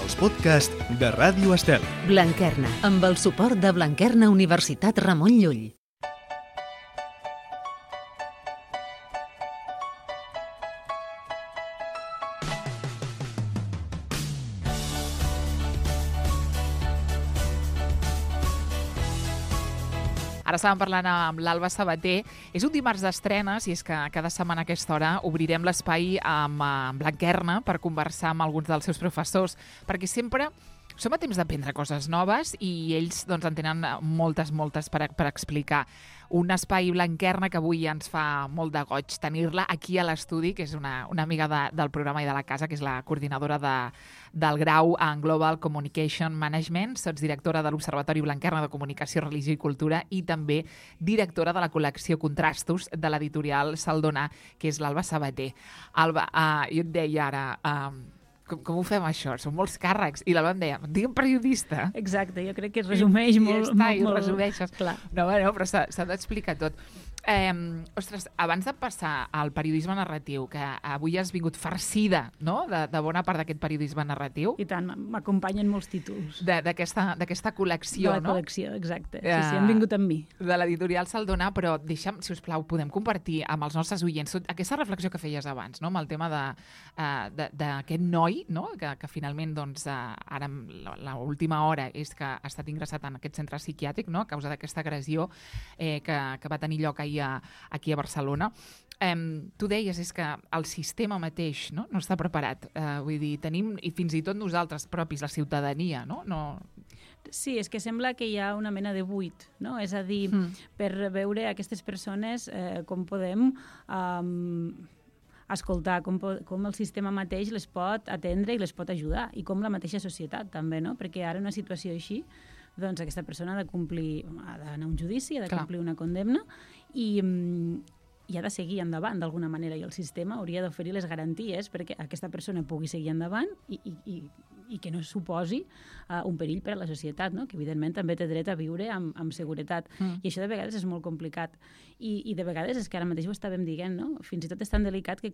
els podcasts de Ràdio Estel. Blanquerna, amb el suport de Blanquerna Universitat Ramon Llull. Ara estàvem parlant amb l'Alba Sabater. És un dimarts d'estrenes i és que cada setmana a aquesta hora obrirem l'espai amb Blanquerna per conversar amb alguns dels seus professors, perquè sempre som a temps d'aprendre coses noves i ells en tenen moltes per explicar. Un espai Blanquerna que avui ens fa molt de goig tenir-la aquí a l'estudi, que és una amiga del programa i de la casa, que és la coordinadora del grau en Global Communication Management, sotsdirectora de l'Observatori Blanquerna de Comunicació, Religió i Cultura i també directora de la col·lecció Contrastos de l'editorial Saldona, que és l'Alba Sabater. Alba, jo et deia ara... Com ho fem, això? Són molts càrrecs. I l'Alba em deia, digue'm periodista. Exacte, jo crec que es resumeix molt. I ho resumeixes. Clar. No, però s'ha d'explicar tot. Ostres, abans de passar al periodisme narratiu, que avui has vingut farcida, no?, de bona part d'aquest periodisme narratiu. I tant, m'acompanyen molts títols. D'aquesta col·lecció, no? De la col·lecció, exacte. Sí, han vingut amb mi. De l'editorial Saldona, però deixa'm, si us plau, podem compartir amb els nostres oients aquesta reflexió que feies abans, no?, amb el tema d'aquest noi, no?, que finalment, ara l'última hora és que ha estat ingressat en aquest centre psiquiàtric, no?, a causa d'aquesta agressió que va tenir lloc aquí a Barcelona. Tu deies és que el sistema mateix no està preparat. Vull dir, tenim, i fins i tot nosaltres propis, la ciutadania, no? Sí, és que sembla que hi ha una mena de buit, no? És a dir, per veure aquestes persones com podem escoltar, com el sistema mateix les pot atendre i les pot ajudar, i com la mateixa societat també, no? Perquè ara una situació així, doncs aquesta persona ha d'anar a un judici, ha de complir una condemna i ha de seguir endavant d'alguna manera, i el sistema hauria d'oferir les garanties perquè aquesta persona pugui seguir endavant i que no suposi un perill per a la societat, no? Que evidentment també té dret a viure amb seguretat. I això de vegades és molt complicat. I de vegades és que ara mateix ho estàvem dient, no? Fins i tot és tan delicat que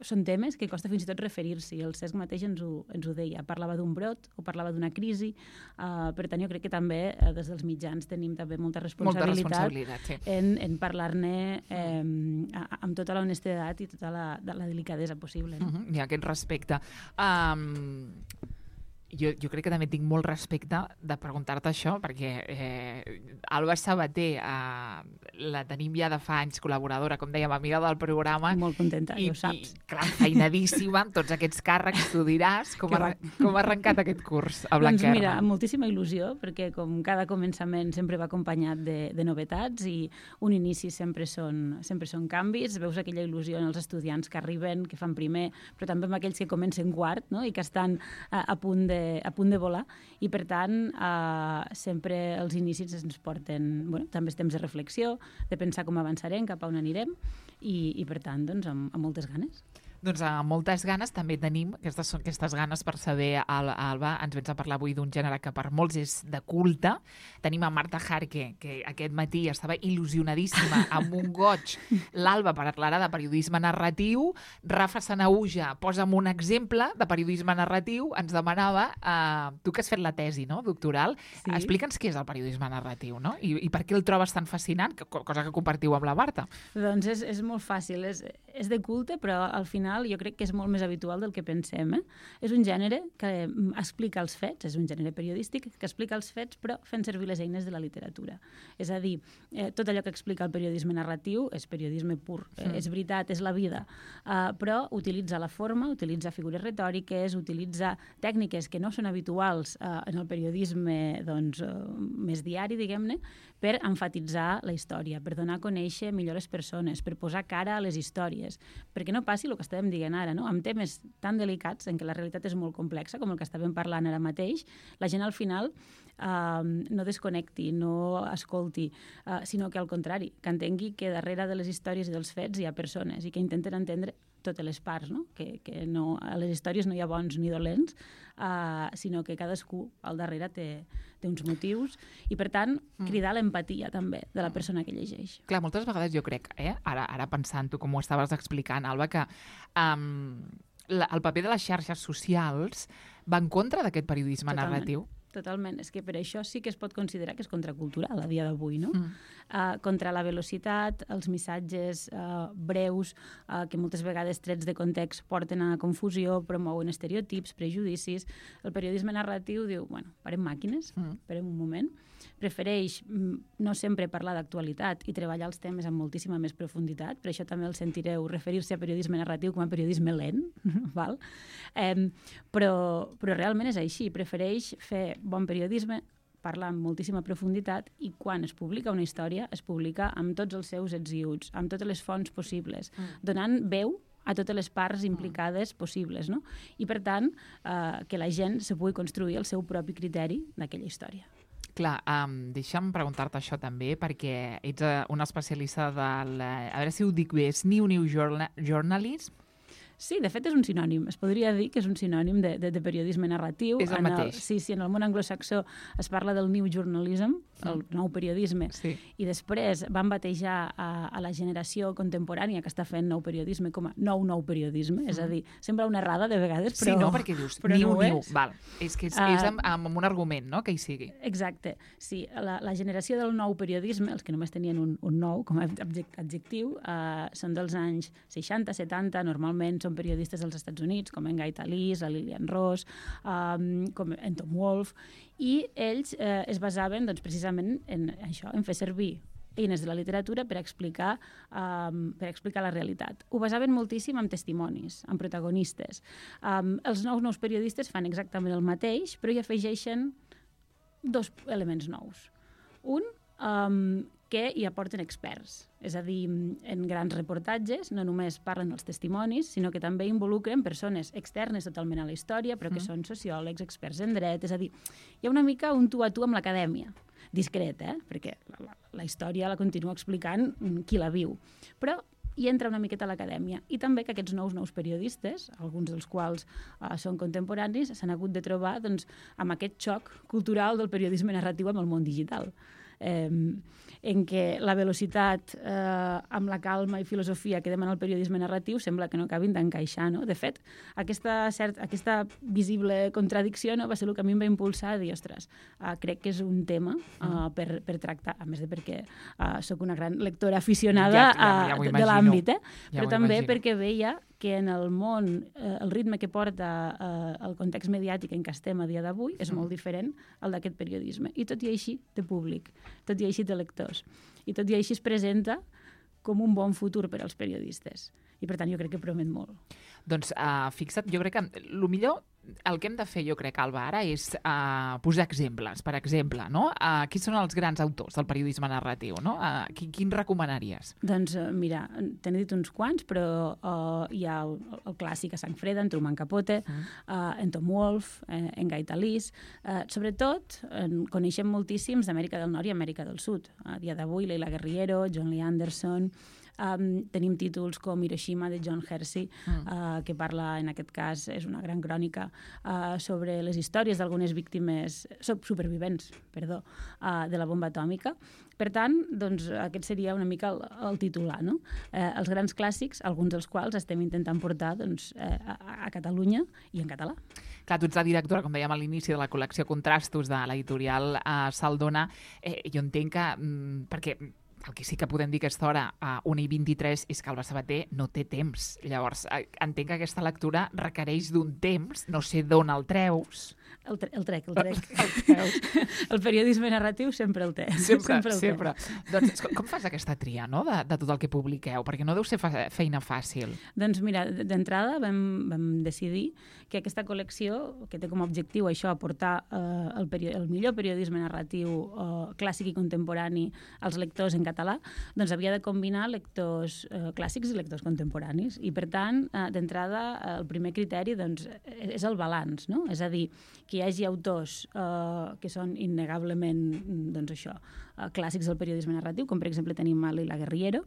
són temes que costa fins i tot referir-s'hi. El CESC mateix ens ho deia. Parlava d'un brot o parlava d'una crisi. Per tant, jo crec que també des dels mitjans tenim també molta responsabilitat en parlar-ne amb tota la honestedat i tota la delicadesa possible. No? I aquest respecte. Jo crec que també tinc molt respecte de preguntar-te això, perquè Alba Sabater la tenim ja de fa anys col·laboradora, com dèiem, amiga del programa. Molt contenta, ja ho saps. I clar, feinadíssima, amb tots aquests càrrecs, tu diràs com ha arrencat aquest curs a Blanquerna. Doncs mira, amb moltíssima il·lusió, perquè com cada començament sempre va acompanyat de novetats i un inici sempre són canvis. Veus aquella il·lusió en els estudiants que arriben, que fan primer, però també amb aquells que comencen quart, no? I que estan a punt de volar, i per tant sempre els inicis ens porten també temps de reflexió, de pensar com avançarem, cap a on anirem, i per tant amb moltes ganes. Doncs amb moltes ganes també tenim aquestes ganes per saber, Alba, ens vens a parlar avui d'un gènere que per molts és de culte. Tenim a Marta Jarque, que aquest matí estava il·lusionadíssima, amb un goig. L'Alba parlarà de periodisme narratiu. Rafa Sanauja, posa'm un exemple de periodisme narratiu. Ens demanava, tu que has fet la tesi, no?, doctoral, sí. Explica'ns què és el periodisme narratiu, no? I per què el trobes tan fascinant, cosa que compartiu amb la Marta. Doncs és molt fàcil, és de culte, però al final jo crec que és molt més habitual del que pensem. És un gènere que explica els fets, és un gènere periodístic que explica els fets, però fent servir les eines de la literatura. És a dir, tot allò que explica el periodisme narratiu és periodisme pur, és veritat, és la vida, però utilitza la forma, utilitza figures retòriques, utilitza tècniques que no són habituals en el periodisme més diari, diguem-ne, per emfatitzar la història, per donar a conèixer millor les persones, per posar cara a les històries, perquè no passi el que estàvem dient ara, no? Amb temes tan delicats en què la realitat és molt complexa, com el que estàvem parlant ara mateix, la gent al final no desconnecti, no escolti, sinó que al contrari, que entengui que darrere de les històries i dels fets hi ha persones i que intenten entendre totes les parts, no? Que a les històries no hi ha bons ni dolents, sinó que cadascú al darrere té uns motius i, per tant, cridar l'empatia també de la persona que llegeix. Clar, moltes vegades jo crec, ara pensant-ho com ho estaves explicant, Alba, que el paper de les xarxes socials va en contra d'aquest periodisme Totalment. narratiu? Totalment. És que per això sí que es pot considerar que és contracultural a dia d'avui, no? Contra la velocitat, els missatges breus, que moltes vegades trets de context porten a confusió, promouen estereotips, prejudicis. El periodisme narratiu diu, bueno, parem màquines, parem un moment, prefereix no sempre parlar d'actualitat i treballar els temes amb moltíssima més profunditat, per això també el sentireu referir-se a periodisme narratiu com a periodisme lent, val? Però realment és així, prefereix fer bon periodisme, parlar amb moltíssima profunditat i quan es publica una història es publica amb tots els seus ets i uts, amb totes les fonts possibles, donant veu a totes les parts implicades possibles, no? I per tant, que la gent se pugui construir el seu propi criteri d'aquella història. Clar, deixa'm preguntar-te això també, perquè ets una especialista del... A veure si ho dic bé, és New Journalism? Sí, de fet és un sinònim. Es podria dir que és un sinònim de periodisme narratiu. És el mateix. Sí, en el món anglosaxó es parla del new journalism, el nou periodisme, sí. I després van batejar a la generació contemporània que està fent nou periodisme com a nou periodisme, és a dir, sembla una errada de vegades, però... Sí, no, perquè dius niu, val. És que és amb un argument, no?, que hi sigui. Exacte, sí. La generació del nou periodisme, els que només tenien un nou com a adjectiu, són dels anys 60, 70, normalment són periodistes dels Estats Units, com en Guy Talese, la Lillian Ross, com en Tom Wolfe, i ells es basaven doncs, precisament en això, en fer servir eines de la literatura per explicar la realitat. Ho basaven moltíssim en testimonis, en protagonistes. Els nous periodistes fan exactament el mateix, però hi afegeixen dos elements nous. Un, que hi aporten experts. És a dir, en grans reportatges no només parlen dels testimonis, sinó que també involucren persones externes totalment a la història, però que són sociòlegs, experts en dret. És a dir, hi ha una mica un tu a tu amb l'acadèmia. Discret, perquè la història la continua explicant qui la viu. Però hi entra una miqueta a l'acadèmia. I també que aquests nous periodistes, alguns dels quals són contemporanis, s'han hagut de trobar doncs, amb aquest xoc cultural del periodisme narratiu amb el món digital. En què la velocitat amb la calma i filosofia que demana el periodisme narratiu sembla que no acabin d'encaixar, no? De fet, aquesta visible contradicció va ser el que a mi em va impulsar a dir, ostres, crec que és un tema per tractar, a més de perquè sóc una gran lectora aficionada de l'àmbit, però també perquè veia que en el món el ritme que porta el context mediàtic en què estem a dia d'avui és molt diferent al d'aquest periodisme. I tot i així té públic, tot i així té lectors. I tot i així es presenta com un bon futur per als periodistes. I per tant jo crec que promet molt. Doncs fixa't, jo crec que el millor, el que hem de fer, jo crec, Alba, ara és posar exemples. Per exemple, no? Qui són els grans autors del periodisme narratiu? No? Quins recomanaries? Doncs mira, t'he dit uns quants, però hi ha el clàssic a sang freda, en Truman Capote, en Tom Wolfe, en Guy Talese. Sobretot, coneixem moltíssims d'Amèrica del Nord i Amèrica del Sud. A dia d'avui, Leila Guerriero, John Lee Anderson... tenim títols com Hiroshima de John Hersey, que parla, en aquest cas, és una gran crònica sobre les històries d'algunes víctimes, supervivents, de la bomba atòmica. Per tant, doncs, aquest seria una mica el titular, no? Els grans clàssics, alguns dels quals estem intentant portar doncs, a Catalunya i en català. Clar, tu ets la directora, com dèiem a l'inici, de la col·lecció Contrastos de l'editorial Saldona. Jo entenc que, perquè el que sí que podem dir a aquesta hora, a 1:23, és que Alba Sabater no té temps. Llavors, entenc que aquesta lectura requereix d'un temps, no sé d'on el treus. El trec. El periodisme narratiu sempre el té. Sempre. Doncs com fas aquesta tria, no?, de tot el que publiqueu? Perquè no deu ser feina fàcil. Doncs mira, d'entrada vam decidir que aquesta col·lecció, que té com a objectiu això, aportar el millor periodisme narratiu clàssic i contemporani als lectors en català, doncs havia de combinar lectors clàssics i lectors contemporanis. I per tant, d'entrada, el primer criteri doncs, és el balanç, no? És a dir, que hi hagi autors que són innegablement doncs això, clàssics del periodisme narratiu, com per exemple tenim a Leila Guerriero,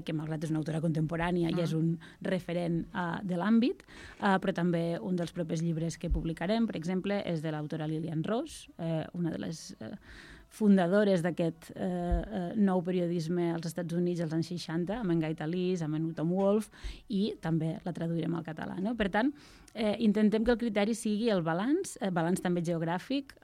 que malgrat és una autora contemporània i és un referent de l'àmbit, però també un dels propers llibres que publicarem, per exemple, és de l'autora Lillian Ross, una de les fundadores d'aquest nou periodisme als Estats Units als anys 60, amb en Guy Talís, amb en Tom Wolfe, i també la traduirem al català. No? Per tant, intentem que el criteri sigui el balanç també geogràfic.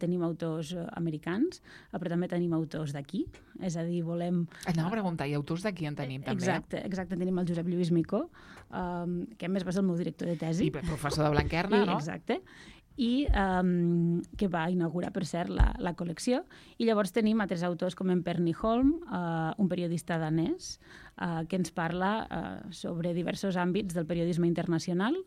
Tenim autors americans, però també tenim autors d'aquí, és a dir, volem... Anava a preguntar, i autors d'aquí en tenim també? Exacte, tenim el Josep Lluís Micó, que a més va ser el meu director de tesi. I professor de Blanquerna, no? Exacte. I que va inaugurar, per cert, la col·lecció. I llavors tenim altres autors com en Perny Holm, un periodista danès, que ens parla sobre diversos àmbits del periodisme internacional.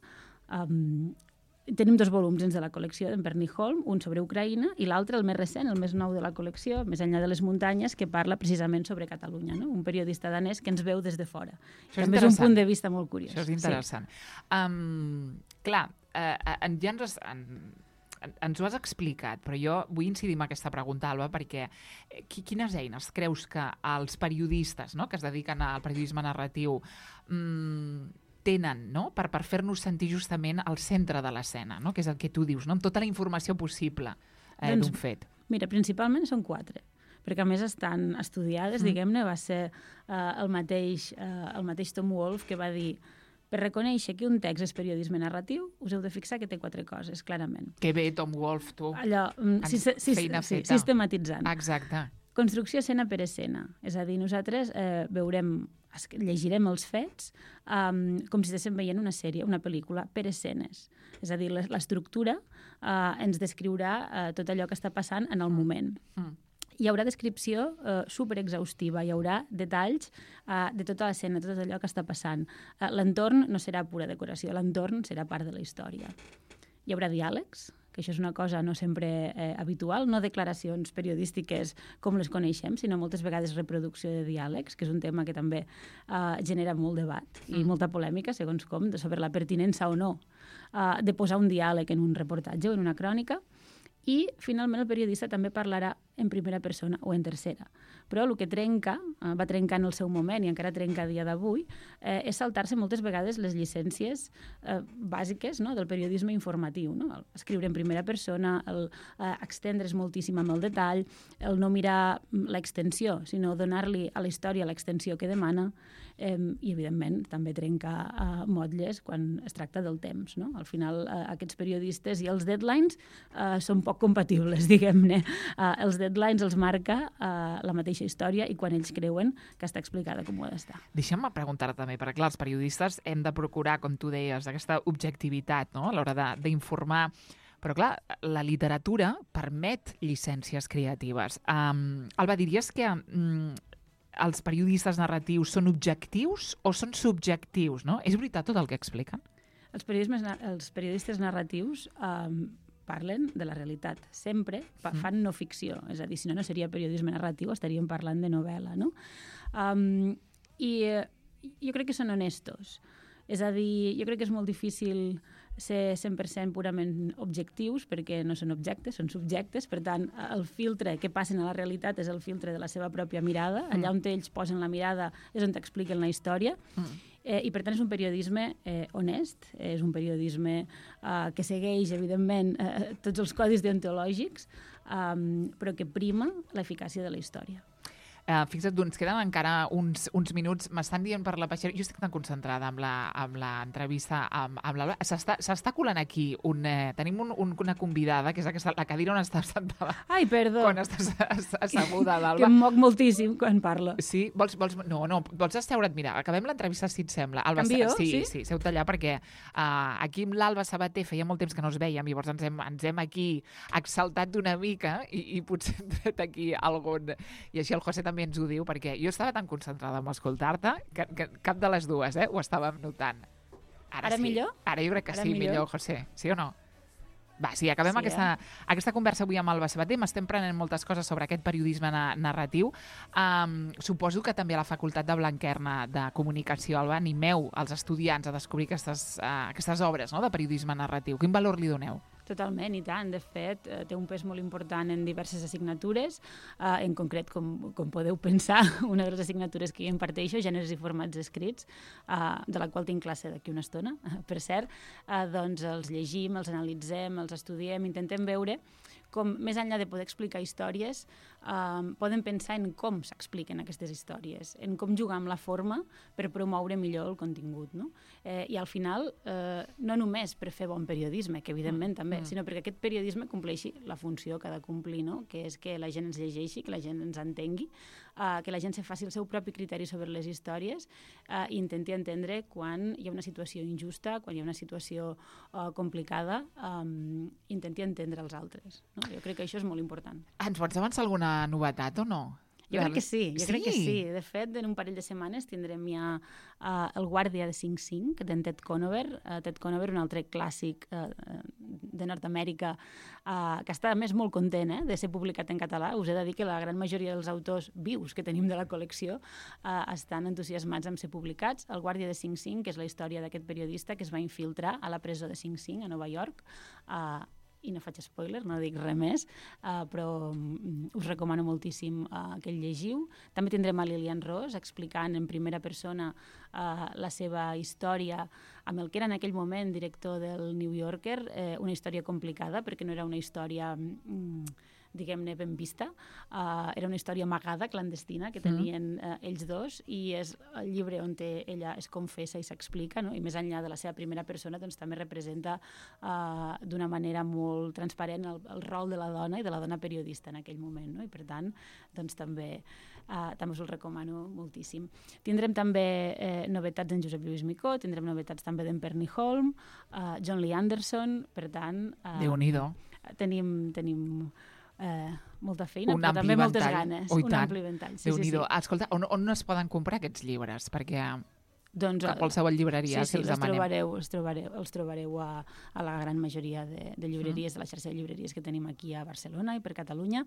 Tenim 2 volums dins de la col·lecció d'en Perny Holm, un sobre Ucraïna i l'altre, el més recent, el més nou de la col·lecció, Més enllà de les muntanyes, que parla precisament sobre Catalunya, no? Un periodista danès que ens veu des de fora. També és un punt de vista molt curiós. Això és interessant. Sí. Clar, ja ens ho has explicat, però jo vull incidir en aquesta pregunta, Alba, perquè quines eines creus que els periodistes, no?, que es dediquen al periodisme narratiu tenen, no?, per fer-nos sentir justament al centre de l'escena, no?, que és el que tu dius, no?, amb tota la informació possible d'un fet? Mira, principalment són 4, perquè a més estan estudiades, diguem-ne, va ser el mateix Tom Wolfe que va dir: per reconèixer que un text és periodisme narratiu, us heu de fixar que té 4 coses, clarament. Que bé, Tom Wolfe, tu. Allò, sistematitzant. Exacte. Construcció escena per escena. És a dir, nosaltres llegirem els fets com si estiguéssim veient una sèrie, una pel·lícula, per escenes. És a dir, l'estructura ens descriurà tot allò que està passant en el moment. Hi haurà descripció superexhaustiva, hi haurà detalls de tota l'escena, tot allò que està passant. L'entorn no serà pura decoració, l'entorn serà part de la història. Hi haurà diàlegs, que això és una cosa no sempre habitual, no declaracions periodístiques com les coneixem, sinó moltes vegades reproducció de diàlegs, que és un tema que també genera molt debat i molta polèmica, segons com, sobre la pertinença o no de posar un diàleg en un reportatge o en una crònica. I, finalment, el periodista també parlarà en primera persona o en tercera. Però el que va trencar en el seu moment i encara trenca a dia d'avui, és saltar-se moltes vegades les llicències bàsiques, no?, del periodisme informatiu. No? Escriure en primera persona, extendre's moltíssim amb el detall, el no mirar l'extensió, sinó donar-li a la història l'extensió que demana, i, evidentment, també trencar motlles quan es tracta del temps. No? Al final, aquests periodistes i els deadlines són poc compatibles, diguem-ne. Els deadlines els marca la mateixa història i quan ells creuen que està explicada com ho ha d'estar. Deixa'm preguntar-te també, perquè clar, els periodistes hem de procurar, com tu deies, aquesta objectivitat, no?, a l'hora d'informar. Però clar, la literatura permet llicències creatives. Alba, diries que els periodistes narratius són objectius o són subjectius, no? És veritat tot el que expliquen? Els periodistes narratius parlen de la realitat. Sempre fan no ficció. És a dir, si no seria periodisme narratiu, estaríem parlant de novel·la, no? I jo crec que són honestos. És a dir, jo crec que és molt difícil ser 100% purament objectius perquè no són objectes, són subjectes. Per tant, el filtre que passen a la realitat és el filtre de la seva pròpia mirada. Allà on ells posen la mirada és on t'expliquen la història. I, per tant, és un periodisme honest, és un periodisme que segueix, evidentment, tots els codis deontològics, però que prima l'eficàcia de la història. Fixa't, ens queden encara uns minuts. M'estan dient per la peixera... Jo estic tan concentrada amb l'entrevista amb l'Alba. S'està colant aquí tenim una convidada, que és la cadira on estàs sentada. Ai, perdó. Quan estàs asseguda, l'Alba. Que em moc moltíssim quan parlo. Sí? Vols asseure't? Mira, acabem l'entrevista, si et sembla. Alba, canvio? Sí, seu-te allà, perquè aquí amb l'Alba Sabater feia molt temps que no es vèiem, llavors ens hem aquí exaltat d'una mica i potser hem tret aquí algun... I així el José també ens ho diu, perquè jo estava tan concentrada en escoltar-te que cap de les dues ho estàvem notant. Ara sí. Millor? Ara jo crec que sí, millor, José. Sí o no? Va, sí, acabem aquesta conversa avui amb Alba Sabater. M'estem prenent moltes coses sobre aquest periodisme narratiu. Suposo que també a la Facultat de Blanquerna de Comunicació, Alba, animeu els estudiants a descobrir aquestes obres, no?, de periodisme narratiu. Quin valor li doneu? Totalment, i tant. De fet, té un pes molt important en diverses assignatures. En concret, com podeu pensar, una de les assignatures que jo imparteixo, gèneres i formats escrits, de la qual tinc classe d'aquí una estona, per cert, doncs els llegim, els analitzem, els estudiem, intentem veure com, més enllà de poder explicar històries, poden pensar en com s'expliquen aquestes històries, en com jugar amb la forma per promoure millor el contingut, no? I al final, no només per fer bon periodisme, que evidentment també, sinó perquè aquest periodisme compleixi la funció que ha de complir, no? Que és que la gent ens llegeixi, que la gent ens entengui, que la gent se faci el seu propi criteri sobre les històries i intenti entendre quan hi ha una situació injusta, quan hi ha una situació complicada, intenti entendre els altres, no? Jo crec que això és molt important. Ens pots avançar alguna novetat o no? Jo crec que sí, crec que sí. De fet, en un parell de setmanes tindrem ja El guàrdia de Sing Sing, d'en Ted Conover. Ted Conover, un altre clàssic de Nord-Amèrica, que està, a més, molt content de ser publicat en català. Us he de dir que la gran majoria dels autors vius que tenim de la col·lecció estan entusiasmats en ser publicats. El guàrdia de Sing Sing, que és la història d'aquest periodista que es va infiltrar a la presó de Sing Sing, a Nova York, i no faig spoiler, no dic res més, però us recomano moltíssim que el llegiu. També tindrem a Lilian Ross explicant en primera persona la seva història amb el que era en aquell moment director del New Yorker, una història complicada perquè no era una història diguem-ne, ben vista. Era una història amagada, clandestina, que tenien ells dos, i és el llibre on ella es confessa i s'explica, no? I més enllà de la seva primera persona, doncs també representa d'una manera molt transparent el rol de la dona i de la dona periodista en aquell moment, no? I per tant, doncs també us el recomano moltíssim. Tindrem també novetats d'en Josep Lluís Micó, tindrem novetats també d'en Perni Holm, John Lee Anderson, per tant... Déu-n'hi-do. Tenim molta feina, però també moltes ganes. Un ampli ventall. Sí. Escolta, on es poden comprar aquests llibres? Perquè doncs, a qualsevol llibreria, si els demanem. Els trobareu a la gran majoria de llibreries, de la xarxa de llibreries que tenim aquí a Barcelona i per Catalunya.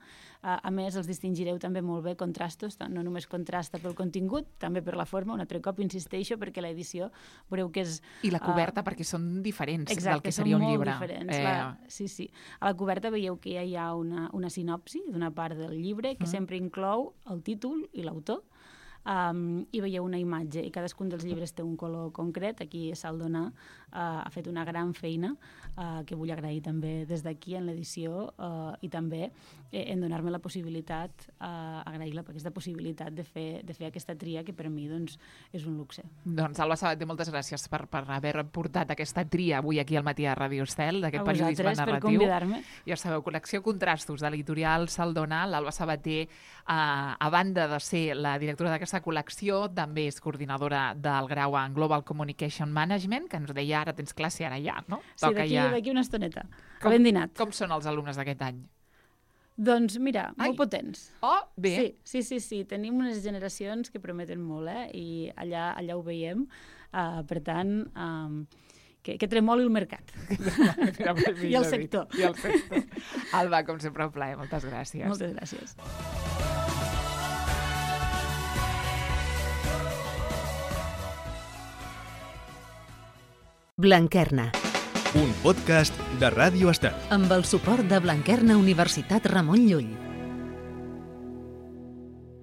A més, els distingireu també molt bé contrastos, no només contrasta pel contingut, també per la forma, un altre cop insisteixo, perquè l'edició veureu que és... I la coberta, perquè són diferents del que seria un llibre. Exacte, són molt diferents. Sí. A la coberta veieu que ja hi ha una sinopsi d'una part del llibre que sempre inclou el títol i l'autor, i veieu una imatge, i cadascun dels llibres té un color concret. Aquí Saldona ha fet una gran feina que vull agrair també des d'aquí en l'edició, i també en donar-me la possibilitat, agrair-la per aquesta possibilitat de fer aquesta tria, que per mi doncs, és un luxe. Doncs Alba Sabater, moltes gràcies per haver portat aquesta tria avui aquí al matí a Ràdio Estel, d'aquest periodisme narratiu. Per convidar-me. Ja sabeu, col·lecció Contrastos de l'editorial Saldona. L'Alba Sabater, a banda de ser la directora d'aquesta col·lecció, també és coordinadora del grau en Global Communication Management, que ens deia ara tens classe, ara ja, no? Sí, d'aquí una estoneta. Ben dinat. Com són els alumnes d'aquest any? Doncs mira, molt potents. Oh, bé. Sí. Tenim unes generacions que prometen molt, i allà ho veiem. Per tant, que tremoli el mercat. I el sector. Alba, com sempre, un plaer. Moltes gràcies. Moltes gràcies. Blanquerna. Un podcast de Ràdio Estel. Amb el suport de Blanquerna Universitat Ramon Llull.